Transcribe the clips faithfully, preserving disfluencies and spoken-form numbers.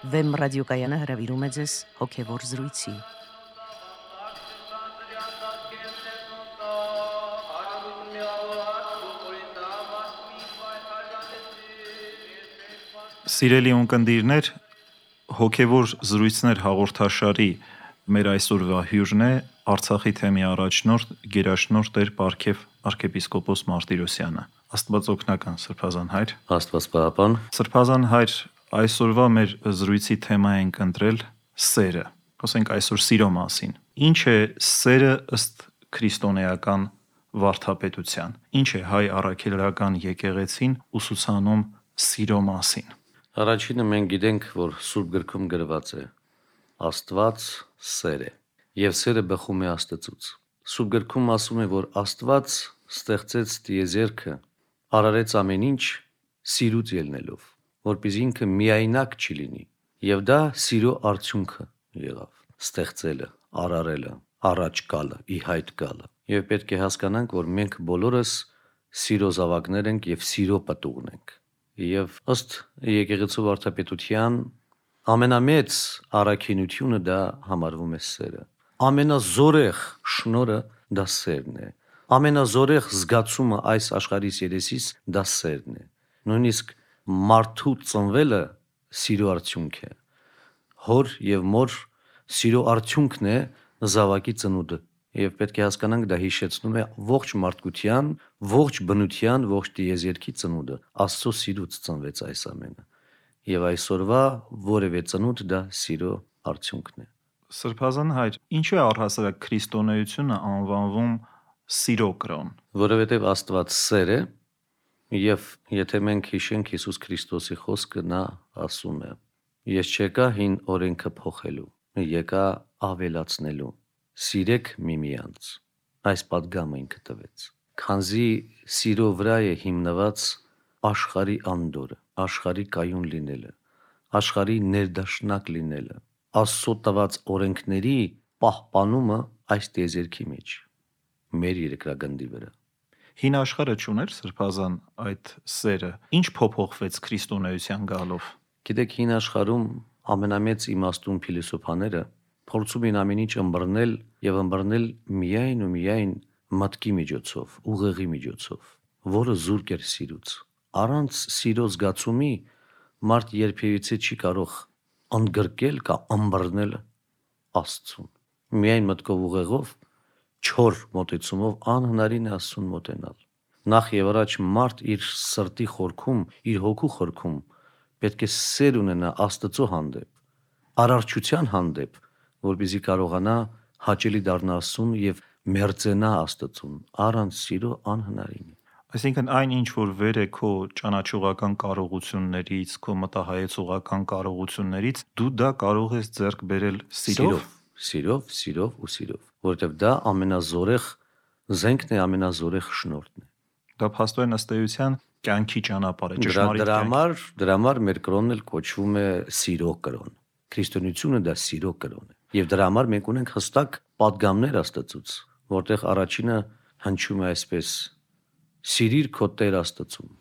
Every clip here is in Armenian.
Վեմ ռադիոկայանը հրավիրում է ձեզ հոգևոր զրույցի։ Սիրելի ունկնդիրներ, հոգևոր զրույցներ հաղորդաշարի մեր այսօրվա հյուրն է Արցախի թեմի առաջնորդ գերաշնորհ Տեր Պարքև arczepiskopos Martirosyan-ը։ Աստված օգնական, Սրբազան հայր։ Աստված պահապան։ Սրբազան հայր, այսօրվա մեր զրույցի թեմա ենք ընտրել սերը։ Խոսենք այսօր սիրո մասին։ Ինչ է սերը ըստ քրիստոնեական վարդապետության։ Ինչ է հայ առաքելական եկեղեցին ուսուցանում սիրո մասին։ Առաջինը մենք գիտենք, որ Սուրբ գրքում գրված է. Աստված սեր է, եւ սերը բխում է Աստծուց։ Սուրբ գրքում ասում է, որ Աստված ստեղծեց տիեզերքը, արարեց ամեն ինչ սիրուց ելնելով, որպեսզի ինքը միայնակ չի լինի, եւ դա սիրո արդյունքը եղավ։ Ստեղծելը, արարելը, առաջ գալը, ի հայտ գալը։ Եվ պետք է հասկանանք, որ մենք բոլորս սիրո զավակներ ենք եւ սիրո պտուղներ ենք։ Եվ ըստ եկեղեցու վարդապետության ամենամեծ առաքինությունը դա համարվում է սերը։ Ամենազորեղ շնորհը դա սերն է։ Ամենազորեղ զգացումը այս աշխարհի երեսից դա սերն է։ Նույնիսկ մարդու ծնվելը սիրո արդյունք է։ Հոր եւ մոր սիրո արդյունքն է զավակի ծնունդը։ Եվ պետք է հասկանանք, դա հիշեցնում է ողջ մարդկության, ողջ բնության, ողջ տիեզերքի ծնունդը։ Աստծո սիրուց ծնվեց այս ամենը։ Եվ այսօրվա որևէ ծնունդ դա սիրո արդյունքն է։ Սրբազան հայր, ինչու է առհասարակ քրիստոնեությունը անվանվում սիրո կրոն։ Որովհետև Աստված սեր է, եւ եթե մենք հիշենք Հիսուս Քրիստոսի խոսքը, նա ասում է. Ես չեկա հին օրենքը փոխելու, եկա ավելացնելու։ Սիրեք միմյանց։ Այս պատգամը ինքը տվեց։ Քանզի սիրո վրա է հիմնված աշխարհի անդորը, աշխարհի կայուն լինելը, աշխարհի ներդաշնակ լինելը, Աստծո տված օրենքների պահպանումը այս տիեզերքի մեջ, մեր երկրագնդի վրա։ Հին աշխարհը չուներ Սրբազան այդ սերը։ Ինչ փոփոխվեց քրիստոնեության գալով։ Գիտեք, հին աշխարհում ամենամեծ իմաստուն փիլիսոփաները փորձում են ամեն ինչ ըմբռնել եւ ըմբռնել միայն ու միայն մտքի միջոցով, ուղեղի միջոցով, որը զուրկ էր սիրուց։ Առանց սիրո զգացումի մարդ երբևիցե չի կարող ընդգրկել կամ ըմբռնել Աստծուն։ Միայն մտքով ուղեղով, չոր մոտեցումով անհնարին է Աստծուն մոտենալ։ Նախ եւ առաջ մարդ իր սրտի խորքում, իր հոգու խորքում պետք է սեր ունենա Աստծո հանդեպ, արարչության հանդեպ, որպեսզի կարողանա հաճելի դառնա Աստծուն եւ մերձենա Աստծուն։ Առանց սիրո անհնարին է։ Այսինքն այն ինչ որ վեր է քո ճանաչողական կարողություններից, քո մտահայեցողական կարողություններից, դու դա կարող ես ձեռք բերել սիրով, սիրով, սիրով ու սիրով, որովհետեւ դա ամենազորեղ զենքն է, ամենազորեղ շնորհն է։ Դա փաստորեն ըստ էության կյանքի ճանապարհ է, ճշմարիտ դրա համար, դրա համար մեր կրոնն էլ կոչվում է սիրո կրոն։ Քրիստոնեությունը դա սիրո կրոն է։ Եվ դրա համար մենք ունենք հստակ պատգամներ Աստծուց, որտեղ առաջինը հնչում է այսպես. Սիրիր քո Տեր Աստծուն։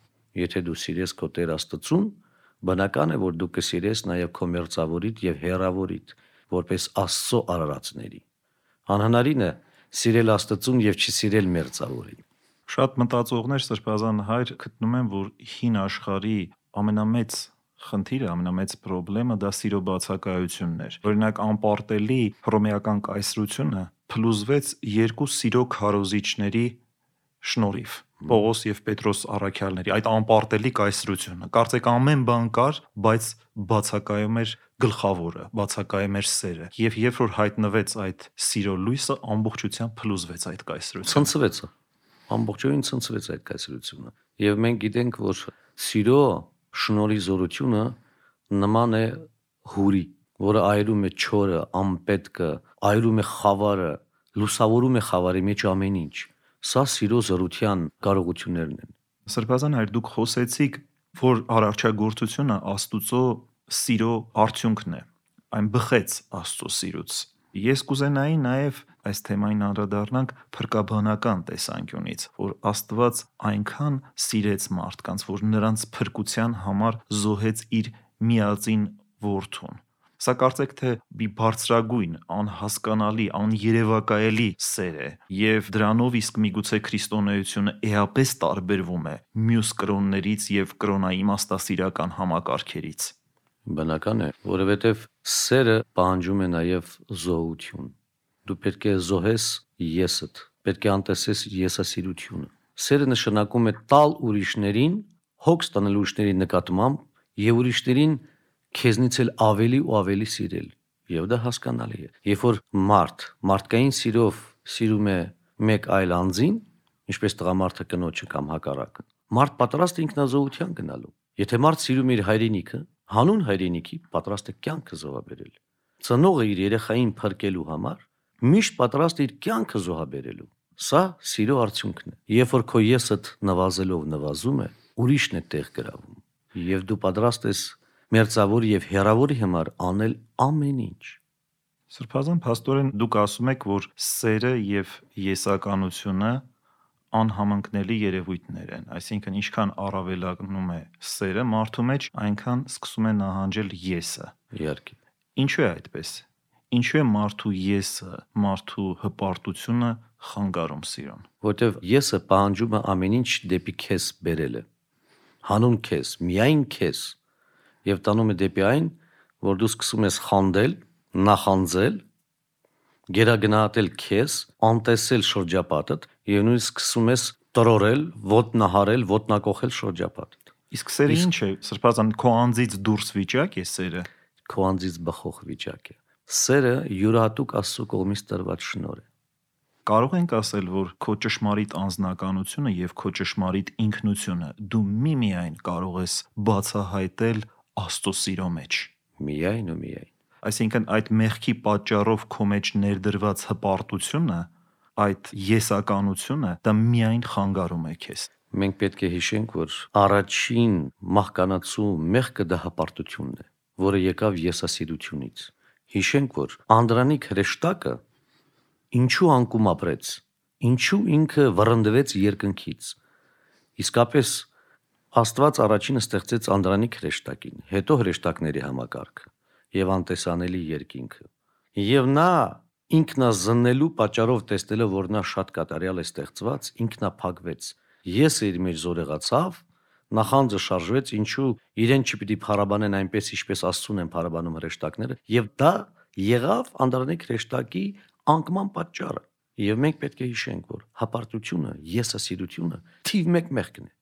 Եթե դու սիրես քո Տեր Աստծուն, բնական է, որ դու կսիրես նաև քո մերձավորիդ եւ հեռավորիդ, որպես Աստծո արարածների։ Անհնարին է սիրել Աստծուն եւ չսիրել մերձավորին։ Շատ մտածողներ Սրբազան հայր գտնում են, որ հին աշխարհի ամենամեծ խնդիրը, ամենամեծ խնդիրը դա սիրո բացակայությունն էր։ Օրինակ անպարտելի հռոմեական կայսրությունը փլուզվեց երկու սիրո քարոզիչների շնորհիվ՝ Պողոս եւ Պետրոս առաքյալների, այդ անպարտելի կայսրությունը։ Կարծեք ամեն բան կար, բայց բացակայում էր գլխավորը, բացակայում էր սերը։ Եվ երբ որ հայտնվեց այդ սիրո լույսը, ամբողջությամբ փլուզվեց այդ կայսրությունը։ Ցնցվեց, ամբողջովին ցնցվեց այդ կայսրությունը։ Եվ մենք գիտենք, որ սիրո շնորհի զորությունը նման է հուրի, որը այրում է չորը, անպետքը, այրում է խավարը, լուսավորում է խավարի մեջ ամեն ինչ։ Սա սիրո զորության կարողություններն են։ Սրբազան հայր, դուք խոսեցիք, որ արարչագործությունը Աստուծո սիրո արդյունքն է, այն բխեց Աստծո սիրուց։ Ես կուզենայի նաև այս թեմային անդրադառնանք փրկաբանական տեսանկյունից, որ Աստված այնքան սիրեց մարդկանց, որ նրանց փրկության համար զոհեց իր միածին որդուն։ Սա կարծեք թե մի բարձրագույն, անհասկանալի, աներևակայելի սեր է, եւ դրանով իսկ միգուցե քրիստոնեությունը էապես տարբերվում է մյուս կրոններից եւ կրոնաիմաստասիրական համակարգերից։ Բնական է, որովհետև սերը պահանջում է նաև զոհություն։ Դու պետք է զոհես եսդ, պետք է անտեսես եսասիրությունը։ Սերը նշանակում է տալ ուրիշներին, հոգ ստանալ ուրիշների նկատմամբ եւ ուրիշներին քեզնից էլ ավելի ու ավելի սիրել։ Եվ դա հասկանալի է։ Երբ որ մարդ մարդկային սիրով սիրում է մեկ այլ անձին, ինչպես տղամարդը կնոջը կամ հակառակը, մարդ պատրաստ է ինքնազոհության գնալու։ Եթե մարդ սիրում է իր հայրենիքը, հանուն հայրենիքի պատրաստ է կյանքը զոհաբերել։ Ծնողը իր երեխային փրկելու համար միշտ պատրաստ է իր կյանքը զոհաբերելու։ Սա սիրո արդյունքն է։ Երբ որ քո եսդ նվազելով նվազում է, ուրիշն է տեղ գրավում։ Եվ դու պատրաստ ես մերձավոր եւ հեռավորի համար անել ամեն ինչ։ Սրբազան փաստորեն դուք ասում եք, որ սերը եւ եսականությունը անհամընկնելի երևույթներ են, այսինքն ինչքան առավելանում է սերը մարդու մեջ, այնքան սկսում է նահանջել եսը։ Իհարկե։ Ինչու է այդպես։ Ինչու է մարդու եսը, մարդու հպարտությունը խանգարում սիրուն։ Որտեվ եսը պահանջում է ամեն ինչ դեպի քեզ բերելը։ Հանուն քեզ, միայն քեզ, եւ տանում է դեպի այն, որ դու սկսում ես խանդել, նախանձել, գերագնահատել քեզ, անտեսել շրջապատդ եւ նույնիսկ սկսում ես տրորել, ոտնահարել, ոտնակոխել շրջապատդ։ Իսկ սերը ինչ է, սրբազան քո անձից դուրս վիճակ է սերը։ Քո անձից բխող վիճակ է։ Սերը յուրահատուկ Աստծո կողմից տրված շնորհ է։ Կարող ենք ասել, որ քո ճշմարիտ անձնականությունը եւ քո ճշմարիտ ինքնությունը դու միմիայն կարող ես բացահայտել Աստծո սիրո մեջ։ Միայն ու միայն։ Այսինքն այդ մեղքի պատճառով քո մեջ ներդրված հպարտությունը, այդ եսականությունը դա միայն խանգարում է քեզ։ Մենք պետք է հիշենք, որ առաջին մահկանացու մեղքը դա հպարտությունն է, որը եկավ եսասիրությունից։ Հիշենք, որ Անդրանիկ հրեշտակը ինչու անկում ապրեց, ինչու ինքը վռնդվեց երկնքից։ Իսկապես Աստված առաջինը ստեղծեց Անդրանիկ հրեշտակին, հետո հրեշտակների համակարգը եւ անտեսանելի երկինքը։ Եվ նա ինքնազննելու պատճառով տեսնելով, որ նա շատ կատարյալ է ստեղծված, ինքնափակվեց։ Եսը իր մեջ զորեղացավ, նախանձը շարժվեց, ինչու իրեն չպիտի փառաբանեն այնպես, ինչպես Աստծուն են փառաբանում հրեշտակները, եւ դա եղավ Անդրանիկ հրեշտակի անկման պատճառը։ Եվ մենք պետք է հիշենք, որ հպարտությունը, եսասիրությունը թիվ մեկ մեղքն է,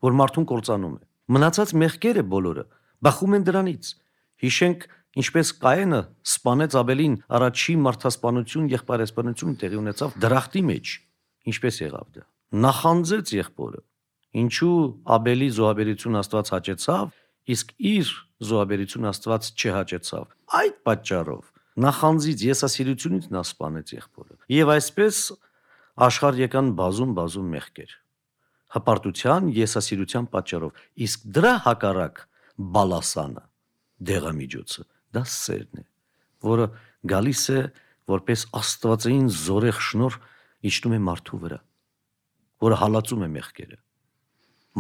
որ մարդուն կործանում է։ Մնացած մեղքերը բոլորը բխում են դրանից։ Հիշենք, ինչպես Կայենը սպանեց Աբելին, առաջի մարդասպանություն, եղբայրասպանություն տեղի ունեցավ դրախտի մեջ։ Ինչպես եղավ դա։ Նախանձեց եղբորը։ Ինչու Աբելի զոհաբերություն Աստված հաճեցավ, իսկ իր զոհաբերություն Աստված չհաճեցավ։ Այդ պատճառով նախանձից, եսասիրությունից նա սպանեց եղբորը։ Եվ այսպես աշխարհ եկան բազում-բազում մեղքեր։ Հպարտության, եսասիրության պատճառով։ Իսկ դրա հակառակ բալասանը, դեղամիջոցը, դա սերն է, որը գալիս է որպես աստվածային զորեղ շնորհ իջնում է մարդու վրա, որը հալածում է մեղքերը,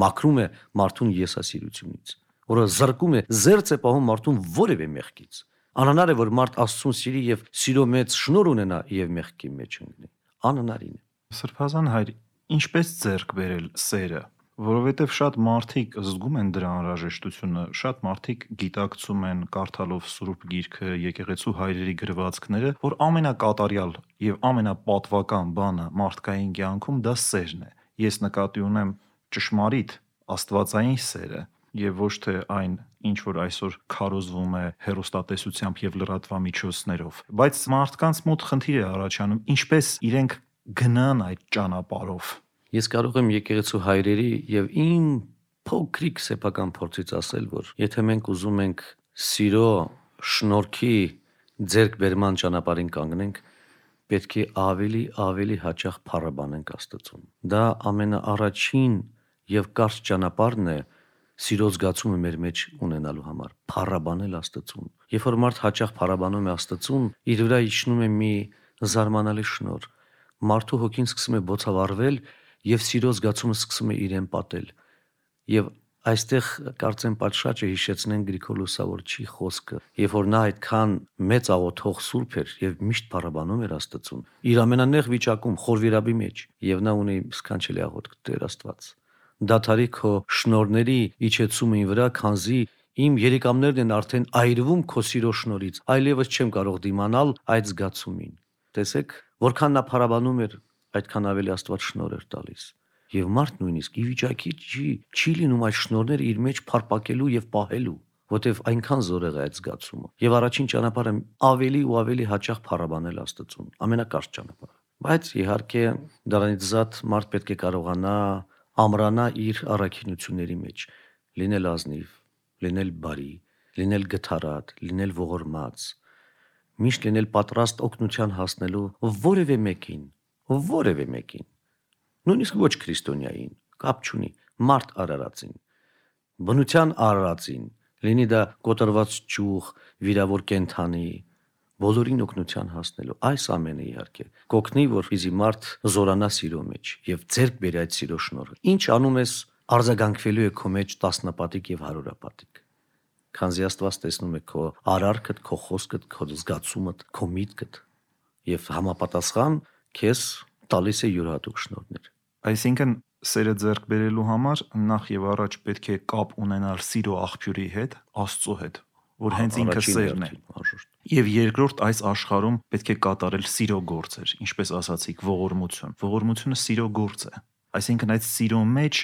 մաքրում է մարդուն եսասիրությունից, որը զրկում է, զերծ է պահում մարդուն որևէ մեղքից։ Անհնար է, որ մարդ Աստծուն սիրի եւ սիրո մեծ շնորհ ունենա եւ մեղքի մեջ ընկնի։ Անհնարին է։ Սրբազան հայր, ինչպես ձեռք բերել սերը, որովհետև շատ մարդիկ զգում են դրա անհրաժեշտությունը, շատ մարդիկ գիտակցում են կարդալով Սուրբ Գիրքը, եկեղեցու հայրերի գրվածքները, որ ամենակատարյալ եւ ամենապատվական բանը մարդկային կյանքում դա սերն է։ Ես նկատի ունեմ ճշմարիտ աստվածային սերը եւ ոչ թե այն, ինչ որ այսօր քարոզվում է հեռուստատեսությամբ եւ լրատվամիջոցներով։ Բայց մարդկանց մոտ խնդիր է առաջանում, ինչպես իրենք գնան այդ ճանապարհով։ Ես կարող եմ եկեղեցու հայրերի եւ իմ փոքրիկ սեփական փորձից ասել, որ եթե մենք ուզում ենք սիրո շնորհքի ձեռքբերման ճանապարհին կանգնենք, պետք է ավելի ավելի հաճախ փառաբանենք Աստծուն։ Դա ամենաառաջին եւ կարճ ճանապարհն է սիրո զգացումը մեր մեջ ունենալու համար, փառաբանել Աստծուն։ Երբ որ մարդ հաճախ փառաբանում է Աստծուն, իր վրա իջնում է մի զարմանալի շնորհ։ Մարդու հոգին սկսում է բոցավառվել եւ սիրո զգացումը սկսում է իրեն պատել։ Եվ Այստեղ կարծեմ պատշաճը հիշեցնեն Գրիգոր Լուսավորչի խոսքը, երբ որ նա այդքան մեծ աղոթող սուրբ էր եւ միշտ փառաբանում էր Աստծուն, իր ամենանեղ վիճակում խորվիրաբի մեջ, եւ նա ունի սքանչելի աղոթք. Տեր Աստված, դաթարի քո շնորհների իջեցումը ին վրա, քանզի իմ երիկամներն են արդեն այրվում քո սիրո շնորհից, այլևս չեմ կարող դիմանալ այդ զգացումին։ Տեսեք, որքան նա փառաբանում էր, այդքան ավելի Աստված շնորհ էր տալիս։ Եվ մարդ նույնիսկ ի վիճակի չի, չի լինում այդ շնորհները իր մեջ փարփակելու եւ պահելու, որտեվ այնքան զորեղ է այդ զգացումը։ Եվ առաջին ճանապարհը ավելի ու ավելի հաճախ փառաբանել Աստծուն, ամենակարճ ճանապարհը։ Բայց իհարկե դրանից զատ մարդ պետք է կարողանա ամրանա իր առաքինությունների մեջ, լինել ազնիվ, լինել բարի, լինել գթառատ, լինել ողորմած, միշտ լինել պատրաստ օգնության հասնելու որևէ մեկին, որևէ մեկին։ Նույնիսկ ոչ քրիստոնյային, կապ չունի, մարդ արարածին, բնության արարածին, լինի դա կոտրված ճյուղ, վիրավոր կենդանի, բոլորին օգնության հասնելու, այս ամենը իհարկե կօգնի, որպեսզի մարդ զորանա սիրո մեջ եւ ձեռք բերի այդ սիրո շնորհը։ Ինչ անում ես, արձագանքվելու է քո մեջ տասնապատիկ եւ հարյուրապատիկ։ Քանզի Աստված տեսնում է քո արարքդ, քո խոսքդ, քո զգացումդ, քո միտքդ եւ համապատասխան քեզ տալիս է յուրահատուկ շնորհներ։ Այսինքն սերը ձեռք բերելու համար նախ եւ առաջ պետք է կապ ունենալ սիրո աղբյուրի հետ, Աստծո հետ, որ հենց ինքը սերն է։ Եվ երկրորդ, այս աշխարհում պետք է կատարել սիրո գործեր, ինչպես ասացիք, ողորմություն։ Ողորմությունը սիրո գործ է։ Այսինքն այդ սիրո մեջ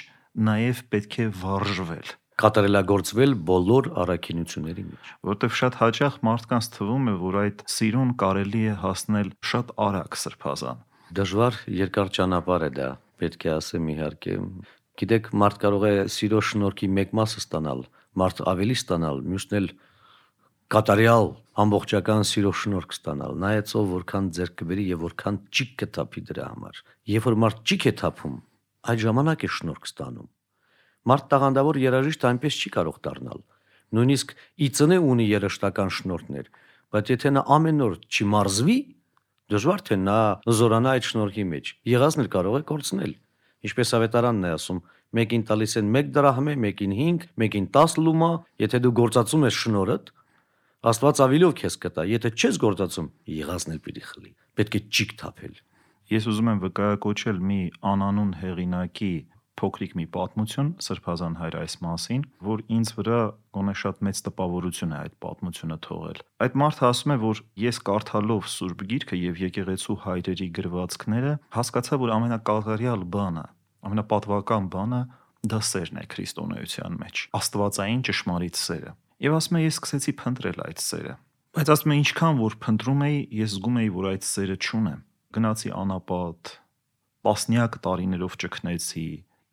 նաեւ պետք է վարժվել, կատարելագործվել բոլոր առաքինությունների մեջ, որտեղ շատ հաճախ մարդկանց թվում է, որ այդ սիրուն կարելի է հասնել շատ արագ սրբազան։ Դժվար երկար ճանապարհ է դա, պետք է ասեմ իհարկե։ Գիտեք, մարդ կարող է սիրո շնորհքի մեկ մասը ստանալ, մարդ ավելի ստանալ, մյուսն էլ կատարյալ ամբողջական սիրո շնորհք ստանալ, նայած ով որքան ձեռք կբերի եւ որքան ճիք կթափի դրա համար։ Երբ որ մարդ ճիք է թափում, այդ ժամանակ է շնորհք ստանում։ Մարդ տաղանդավոր երաժիշտ այնպես չի կարող դառնալ։ Նույնիսկ ի ծնե ունի երաժշտական շնորհներ, բայց եթե նա ամեն օր չմարզվի, դժվար թե նա զորանա այդ շնորհքի մեջ։ Եղածն էլ կարող է կորցնել։ Ինչպես ավետարանն է ասում, մեկին տալիս են մեկ դրահմե, մեկին հինգ, մեկին տաս լումա, եթե դու գործածում ես շնորհդ, Աստված ավիլով քեզ կտա, եթե չես գործածում, եղածն էլ պիտի խլի։ Պետք է ճիք թափել։ Ես ուզում եմ վկայակոչել մի անանուն հեղինակի փոքրիկ մի պատմություն Սրբազան հայր այս մասին, որ ինձ վրա գոնե շատ մեծ տպավորություն է այդ պատմությունը թողել։ Այդ մարդը ասում է, որ ես կարդալով Սուրբ Գիրքը եւ եկեղեցու հայրերի գրվածքները հասկացա, որ ամենակատարյալ բանը, ամենապատվական բանը դա սերն է քրիստոնեության մեջ, աստվածային ճշմարիտ սերը։ Եվ ասում է, ես սկսեցի փնտրել այդ սերը, բայց ասում է, ինչքան որ փնտրում էի, ես զգում էի, որ այդ սերը չունեմ։ Գնացի անապատ, տասնյակ տարիներով ճգնեցի,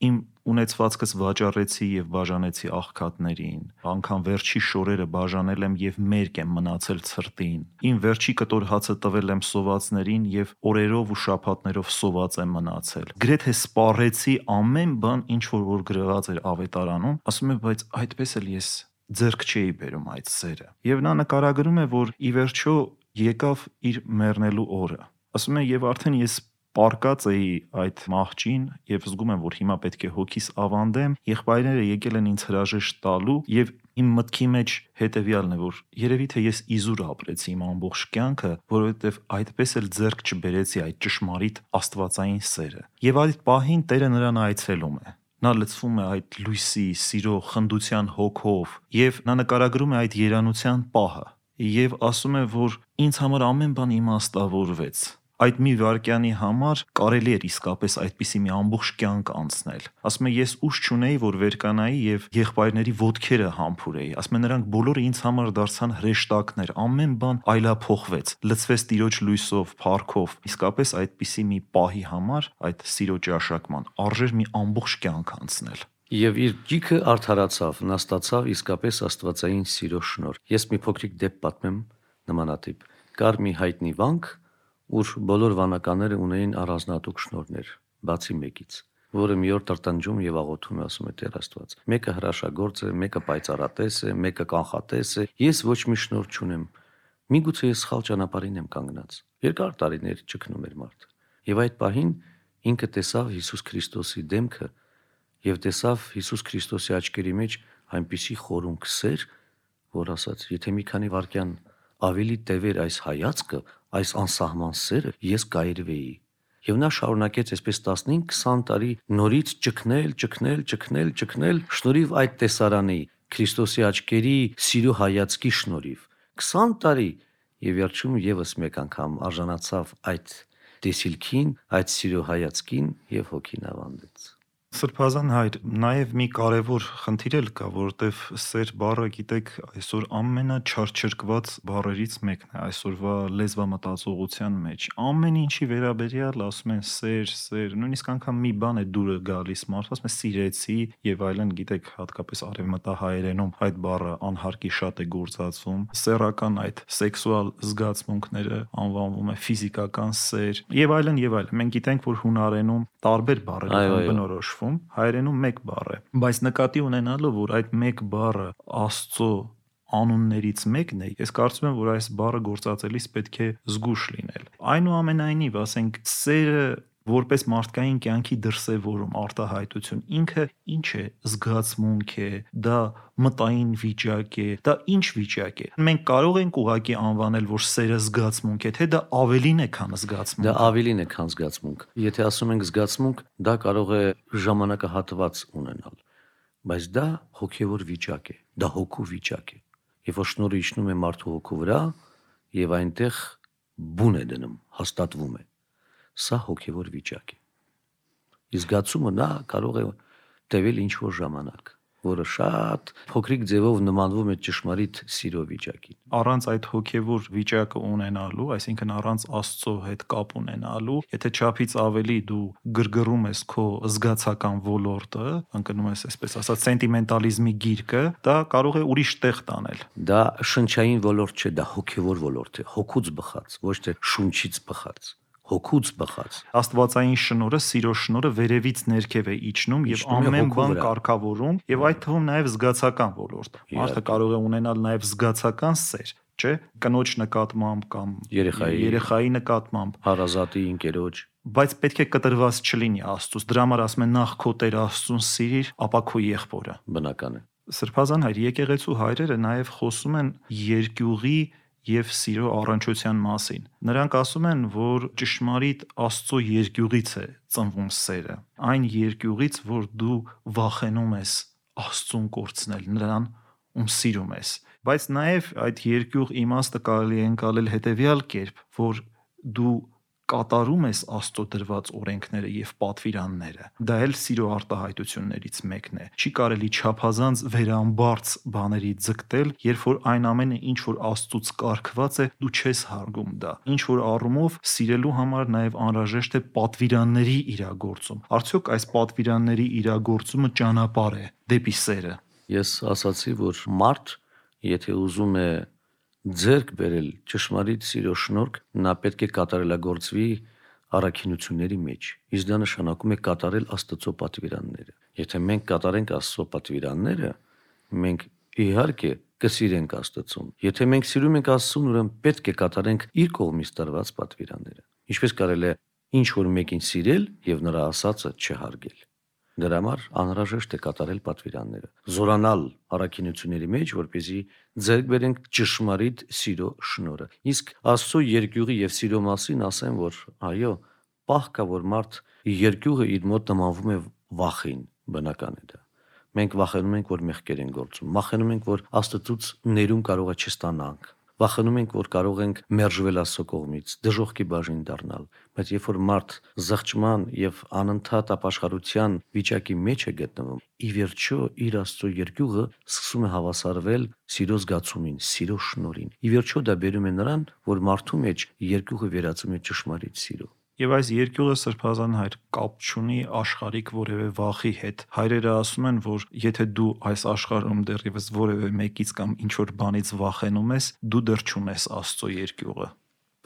իմ ունեցվածքս վաճառեցի եւ բաժանեցի աղքատներին, անգամ վերջի շորերը բաժանել եմ եւ մերկ եմ մնացել ցրտին, իմ վերջի կտոր հացը տվել եմ սովածներին եւ օրերով ու շաբաթներով սոված եմ մնացել։ Գրեթե սպառեցի ամեն բան, ինչ որ որ գրված էր ավետարանում, ասում է, բայց այդպես էլ ես ձեռք չէի բերում այդ սերը։ Եվ նա նկարագրում է, որ ի վերջո եկավ իր մեռնելու օրը։ Ասում է, եւ արդեն ես պարկած էի այդ մահճին եւ զգում եմ, որ հիմա պետք է հոգիս ավանդեմ, եղբայրները եկել են ինձ հրաժեշտ տալու եւ իմ մտքի մեջ հետեւյալն է, որ երևի թե ես իզուր ապրեցի իմ ամբողջ կյանքը, որովհետեւ այդպես էլ ձեռք չբերեցի այդ ճշմարիտ աստվածային սերը։ Եվ այդ պահին Տերը նրան այցելում է։ Նա լցվում է այդ լույսի, սիրո, խնդության հոգով եւ նա նկարագրում է այդ երանության պահը եւ ասում է, որ ինձ համար ամեն բան իմաստավորվեց։ Այդ մի վայրկյանի համար կարելի էր իսկապես այդպիսի մի ամբողջ կյանք անցնել։ Ասում է, ես ուժ չունեի, որ վերկանայի եւ եղբայրների ոտքերը համբուրեի։ Ասում է, նրանք բոլորը ինձ համար դարձան հրեշտակներ, ամեն բան այլափոխվեց, լցվեց Տիրոջ լույսով, փառքով։ Իսկապես այդպիսի մի պահի համար, այդ սիրո ճաշակման, արժեր մի ամբողջ կյանք անցնել։ Եվ իր ջիքը արդարացավ, նա ստացավ իսկապես աստվածային սիրո շնորհ։ Ես մի փոքրիկ դեպք պատմեմ նմանատիպ։ Կար մի հայտնի վանք, ուր բոլոր վանականները ունեին առանձնահատուկ շնորհներ, բացի մեկից, որը մի օր տրտնջում եւ աղոթում է, ասում է Տեր Աստված. մեկը հրաշագործ է, մեկը պայծառատես է, մեկը կանխատես է, ես ոչ մի շնորհ չունեմ։ Միգուցե ես սխալ ճանապարհին եմ կանգնած։ Երկար տարիներ ճգնում էր մարդը։ Եվ այդ պահին ինքը տեսավ Հիսուս Քրիստոսի դեմքը եւ տեսավ Հիսուս Քրիստոսի աչքերի մեջ այնպիսի խորունկ սեր, որ ասաց, եթե մի քանի վայրկյան ավելի տևեր այս հայացքը, այս անսահման սերը, ես կայրվեի։ Եվ նա շարունակեց այսպես տասնհինգ քսան տարի նորից ճգնել, ճգնել, ճգնել, ճգնել, շնորհիվ այդ տեսարանի Քրիստոսի աչքերի սիրո հայացքի շնորհիվ։ քսան տարի եւ վերջում եւս մեկ անգամ արժանացավ այդ տեսիլքին, այդ սիրո հայացքին եւ հոգին ավանդեց։ Սրբազան հայր, նաև մի կարևոր խնդիր էլ կա, որովհետև սեր բառը, գիտեք, այսօր ամենաչարչրկված բառերից մեկն է այսօրվա լեզվամտածողության մեջ։ Ամեն ինչի վերաբերյալ ասում են սեր, սեր, նույնիսկ անգամ մի բան է դուրը գալիս, մարդը ասում է սիրեցի եւ այլն, գիտեք, հատկապես արևմտահայերենում այդ բառը անհարկի շատ է գործածվում։ Սեռական այդ սեքսուալ զգացմունքները անվանվում է ֆիզիկական սեր եւ այլն եւ այլն։ Մենք գիտենք, որ հունարենում տարբեր բառեր են բնորոշվում, հայերենում մեկ բառ է, բայց նկատի ունենալով, որ այդ մեկ բառը Աստծո անուններից մեկն է, ես կարծում եմ, որ այս բառը գործածելիս պետք է զգուշ լինել։ Այնուամենայնիվ, ասենք, սերը որպես մարդկային կյանքի դրսևորում, արտահայտություն, ինքը ինչ է, զգացմունք է, դա մտային վիճակ է, դա ինչ վիճակ է։ Մենք կարող ենք ուղղակի անվանել, որ սերը զգացմունք է, թե դա ավելին է, քան զգացմունք։ Դա ավելին է, քան զգացմունք։ Եթե ասում ենք զգացմունք, դա կարող է ժամանակահատված ունենալ, բայց դա հոգևոր վիճակ է, դա հոգու վիճակ է։ Երբ որ շնորհը իջնում է մարդու հոգու վրա, եւ այնտեղ բուն է դնում, հաստատվում է։ Սա հոգևոր վիճակ է։ Իսկ զգացումը նա կարող է տևել ինչ-որ ժամանակ, որը շատ փոքրիկ ձևով նմանվում է ճշմարիտ սիրո վիճակին։ Առանց այդ հոգևոր վիճակը ունենալու, այսինքն առանց Աստծո հետ կապ ունենալու, եթե չափից ավելի դու գրգռում ես քո զգացական ոլորտը, ընկնում ես այսպես ասած սենտիմենտալիզմի գիրկը, դա կարող է ուրիշ տեղ տանել։ Դա շնչային ոլորտ չէ, դա հոգևոր ոլորտ է, հոգուց բխած, ոչ թե շունչից բխած։ Հոգուց բխած։ Աստվածային շնորհը, սիրո շնորհը վերևից ներքև է իջնում եւ ամեն բան կարգավորում եւ այդ թվում նաեւ զգացական ոլորտ։ Մարդը կարող է ունենալ նաեւ զգացական սեր, չէ՞, կնոջ նկատմամբ կամ երեխայի երեխայի նկատմամբ, հարազատի ընկերոջ, բայց պետք է կտրված չլինի Աստծուց։ Դրա համար ասում են նախ քո Տեր Աստծուն սիրիր, ապա քո եղբորը։ Բնական է։ Սրբազան հայր, եկեղեցու հայրերը նաեւ խոսում են երկյուղի եւ սիրո առնչության մասին։ Նրանք ասում են, որ ճշմարիտ Աստծո երկյուղից է ծնվում սերը։ Այն երկյուղից, որ դու վախենում ես Աստծուն կորցնել, նրան ում սիրում ես։ Բայց նաեւ այդ երկյուղ իմաստը կարելի է ընկալել հետեւյալ կերպ, որ դու կատարում ես Աստծո դրված օրենքները եւ պատվիրանները։ Դա էլ սիրո արտահայտություններից մեկն է։ Չի կարելի չափազանց վերամբարձ բաների ձգտել, երբ որ այն ամենը, ինչ որ Աստծուց կարգված է, դու չես հարգում դա։ Ինչ որ առումով սիրելու համար նաեւ անհրաժեշտ է պատվիրանների իրագործում։ Արդյոք այս պատվիրանների իրագործումը ճանապարհ է դեպի սերը։ Ես ասացի, որ մարդ, եթե ուզում է ձեռք բերել ճշմարիտ սիրո շնորհք, նա պետք է կատարելագործվի առաքինությունների մեջ։ Իսկ դա նշանակում է կատարել Աստծո պատվիրանները։ Եթե մենք կատարենք Աստծո պատվիրանները, մենք իհարկե կսիրենք Աստծուն։ Եթե մենք սիրում ենք Աստծուն, ուրեմն պետք է կատարենք իր կողմից տրված պատվիրանները։ Ինչպես կարելի է ինչ որ մեկին սիրել եւ նրա ասածը չհարգել։ Դրա համար անհրաժեշտ է կատարել պատվիրանները, զորանալ առաքինությունների մեջ, որպեսզի ձեռք բերենք ճշմարիտ սիրո շնորհը։ Իսկ Աստծո երկյուղի եւ սիրո մասին ասեմ, որ այո, պահ կա, որ մարդ երկյուղը իր մոտ նմանվում է վախին, բնական է դա։ Մենք վախենում ենք, որ մեղքեր են գործում, վախենում ենք, որ Աստծուց ներում կարող է չստանանք, վախենում ենք, որ կարող ենք մերժվել Աստծո կողմից, դժոխքի բաժին դառնալ, բայց երբ որ մարդ զղջման եւ անընդհատ ապաշխարության վիճակի մեջ է գտնվում, ի վերջո իր Աստծո երկյուղը սկսում է հավասարվել սիրո զգացումին, սիրո շնորհին։ Ի վերջո դա բերում է նրան, որ մարդու մեջ երկյուղը վերածում է ճշմարիտ սիրո։ Եվ այս երկյուղը սրբազան հայր կապ չունի աշխարհիկ որևէ վախի հետ։ Հայրերը ասում են, որ եթե դու այս աշխարհում դեռևս որևէ մեկից կամ ինչ-որ բանից վախենում ես, դու դեռ չունես Աստծո երկյուղը։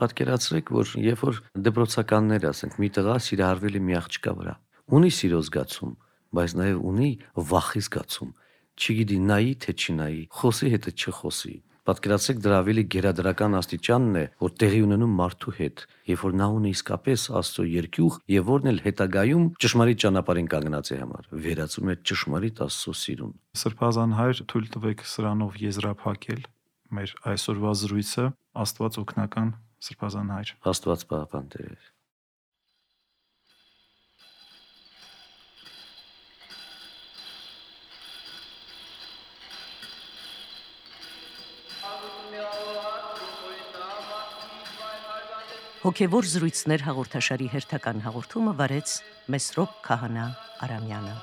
Պատկերացրեք, որ երբ որ դպրոցականներ, ասենք, մի տղա սիրահարվել է մի աղջկա վրա, ունի սիրո զգացում, բայց նաև ունի վախի զգացում, չգիտի նայի թե չնայի, խոսի հետը չխոսի, Պատկերացրեք դրա ավելի գերադրական աստիճանն է, որ տեղի ունենում մարդու հետ, երբ որ նա ունի իսկապես Աստծո երկյուղ եւ որն էլ հետագայում ճշմարիտ ճանապարհին կանգնած է համար, վերածում է ճշմարիտ Աստծո սիրուն։ Սրբազան հայր, թույլ տվեք սրանով եզրափակել մեր այսօրվա զրույցը։ Աստված օգնական, Սրբազան հայր։ Աստված պահապան Տեր։ Հոգևոր զրույցներ հաղորդաշարի հերթական հաղորդումը վարեց Մեսրոպ Քահանա Արամյանը։